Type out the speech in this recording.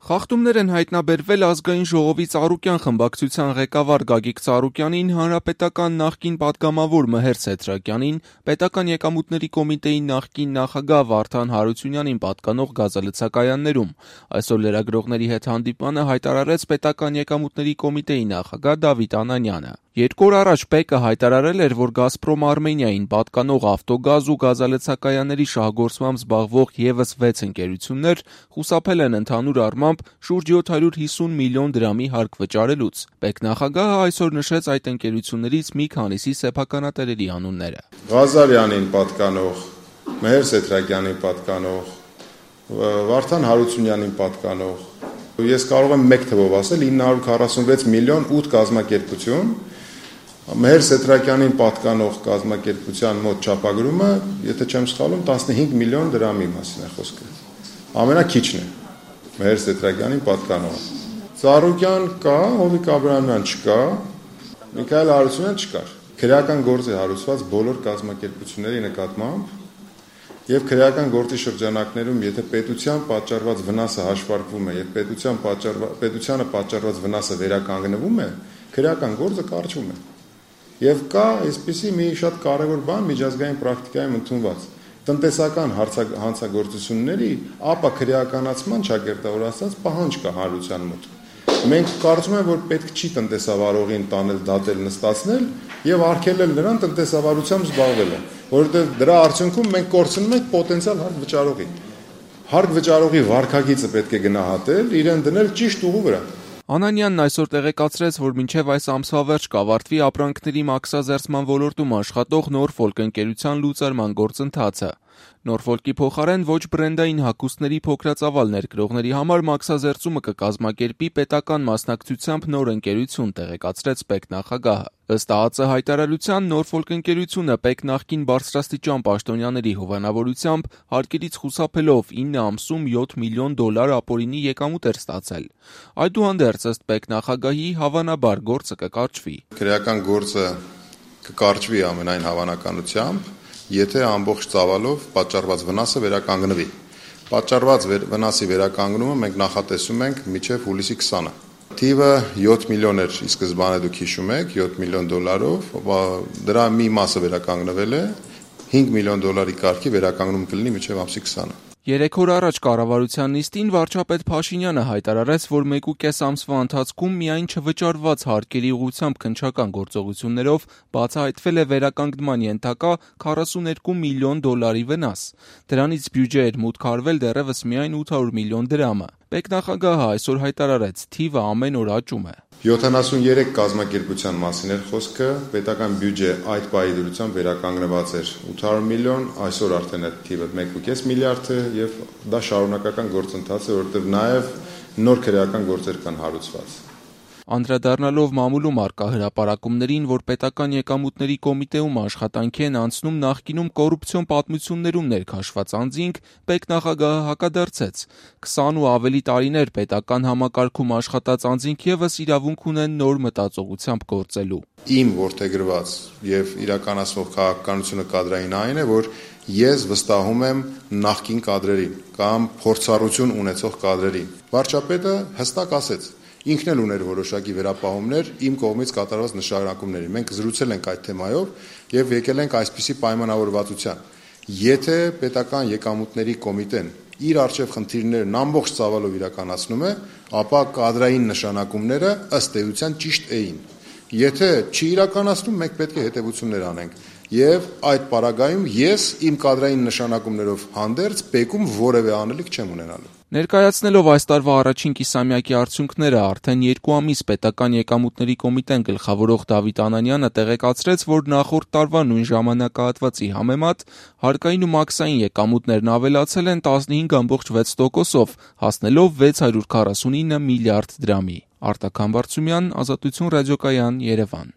Խախտումներ են հայտնաբերվել Ազգային ժողովի Ծառուկյան խմբակցության ղեկավար Գագիկ Ծառուկյանին, հանրապետական նախկին պատգամավոր Մհեր Սեթրակյանին, պետական եկամուտների կոմիտեի նախկին նախագահ Վարդան Հարությունյանին պատկանող գազալցակայաններում։ Այսօր լրագրողների հետ հանդիպմանը հայտարարեց պետական եկամուտների կոմիտեի նախագահ Դավիթ Անանյանը։ 2 օր առաջ ՊԵԿ-ը հայտարարել էր, որ «Գազպրոմ Արմենիային» պատկանող ավտոգազ ու գազալցակայանների շահգործմամբ զբաղվող ևս 6 ընկերություններ խուսափել են ընդհանուր առմամբ շուրջ 750 միլիոն դրամի հարկ վճարելուց։ ՊԵԿ նախագահը այսօր նշեց այդ ընկերություններից մի քանիսի սեփականատերերի անունները։ Ղազարյանին պատկանող, Մհեր Սեթրակյանին պատկանող, Վարդան Հարությունյանին պատկանող, ես կարող եմ մեկ թվով ասել 946 միլիոն 8 կազմակերպություն, Մհեր Սեթրակյանին պատկանող կազմակերպության մոտ չափագրումը, եթե չեմ սխալվում, 15 միլիոն դրամի մասին է խոսքը։ Ամենաքիչն է Մհեր Սեթրակյանին պատկանող։ Ծառուկյան կա, Հովիկ Աբրահամյան չկա, Միքայել Հարությունյան չկար։ Քրեական գործ է հարուցված բոլոր կազմակերպությունների նկատմամբ եւ քրեական գործի շրջանակներում, եթե պետության պատճառված վնասը հաշվարկվում է եւ պետությանը պատճառված վնասը վերականգնվում է, քրեական գործը կարճվում է։ Եվ կա այսպիսի մի շատ կարևոր բան միջազգային պրակտիկայում ընդունված տնտեսական հանցագործությունների ապա քրեականացման ճակերտավոր ասած պահանջ կա հանրության մոտ։ Մենք կարծում ենք, որ պետք չի տնտեսավարողին տանել դատել նստացնել եւ արգելել նրան տնտեսավարությամբ զբաղվելը, որովհետեւ դրա արդյունքում մենք կորցնում ենք պոտենցիալ հարկ վճարողի։ Հարկ վճարողի վարքագիծը պետք է գնահատել, իրեն դնել ճիշտ ուղու վրա։ Անանյանն այսօր տեղեկացրեց, որ մինչև այս ամսվա վերջ կավարտվի ապրանքների մաքսազերծման ոլորտում աշխատող Նորֆոլկ ընկերության լուծարման գործընթացը։ Նորֆոլկի փոխարեն ոչ բրենդային հագուստների փոքրածավալ ներկրողների համար մաքսազերծումը կկազմակերպի պետական մասնակցությամբ նոր ընկերություն, տեղեկացրեց ՊԵԿ նախագահը։ Ըստ ԱԱԾ հայտարարության Նորֆոլկ ընկերությունը ՊԵԿ նախկին բարձրաստիճան պաշտոնյաների հովանավորությամբ հարկերից խուսափելով 9 ամսում $7 միլիոն ապօրինի եկամուտ էր ստացել։ Այդուհանդերձ, ըստ ՊԵԿ նախագահի, հավանաբար գործը կկարճվի։ Քրեական գործը կկարճվի ամենայն հավանականությամբ, եթե ամբողջ ծավալով պատճառված վնասը վերականգնվի։ Պատճառված վնասի վերականգնումը մենք նախատեսում ենք մինչև հուլիսի 20-ը։ Թիվը 7 միլիոն էր ի սկզբանե, դուք հիշում եք, $7 միլիոն, դրա մի մասը վերականգնվել է, $5 միլիոն կարգի վերականգնում կլինի մինչև ամսի 20-ը։ 3 օր առաջ կառավարության նիստին վարչապետ Փաշինյանը հայտարարեց, որ 1.5 ամսվա ընթացքում միայն չվճարված հարկերի ուղղությամբ քննչական գործողություններով բացահայտվել է վերականգնման ենթակա $42 միլիոն վնաս։ Դրանից բյուջե էր մուտք արվել դեռևս միայն 800 միլիոն դրամը։ ՊԵԿ նախագահը այսօր հայտարարեց, թիվը ամեն օր աճում է։ 73 կազմակերպության մասին էր խոսքը, պետական բյուջե այդ պահի դրությամբ վերականգնված էր 800 միլիոն, այսօր արդեն այդ թիվը 1.5 միլիարդ է եւ դա շարունակական գործընթաց է, որովհետեւ նաեւ նոր քրեական գործեր կան հարուցված։ Անդրադառնալով մամուլում առկա հրապարակումներին, որ պետական եկամուտների կոմիտեում աշխատանքի են անցնում նախկինում կոռուպցիոն պատմություններում ներքաշված անձինք, ՊԵԿ նախագահը հակադարձեց. 20 ու ավելի տարիներ պետական համակարգում աշխատած անձինք ևս իրավունք ունեն նոր մտածողությամբ գործելու։ Իմ որդեգրված եւ իրականացվող քաղաքականությունը կադրային այն է, որ ես վստահում եմ նախկին կադրերին կամ փորձառություն ունեցող կադրերին։ Վարչապետը հստակ ասեց. ինքն էլ ուներ որոշակի վերապահումներ իմ կողմից կատարված նշանակումների։ Մենք զրուցել ենք այդ թեմայով եւ եկել ենք այսպիսի պայմանավորվածության։ Եթե պետական եկամուտների կոմիտեն իր արժեվ խնդիրներն ամբողջ ծավալով իրականացնում է, ապա կադրային նշանակումները ըստ էության ճիշտ էին։ Եթե չի իրականացնում, մենք պետք է հետևություններ անենք։ Եվ այդ պարագայում ես իմ կադրային նշանակումներով հանդերձ ՊԵԿ-ում որևէ անելիք չեմ ունենալու։ Ներկայացնելով այս տարվա առաջին կիսամյակի արդյունքները արդեն 2 ամիս պետական եկամուտների կոմիտեն գլխավորող Դավիթ Անանյանը տեղեկացրեց, որ նախորդ տարվա նույն ժամանակահատվածի համեմատ հարկային ու մաքսային եկամուտներն ավելացել են 15.6%-ով, հասնելով 649 միլիարդ դրամի։ Արտակ Համբարձումյան, Ազատություն ռադիոկայան, Երևան։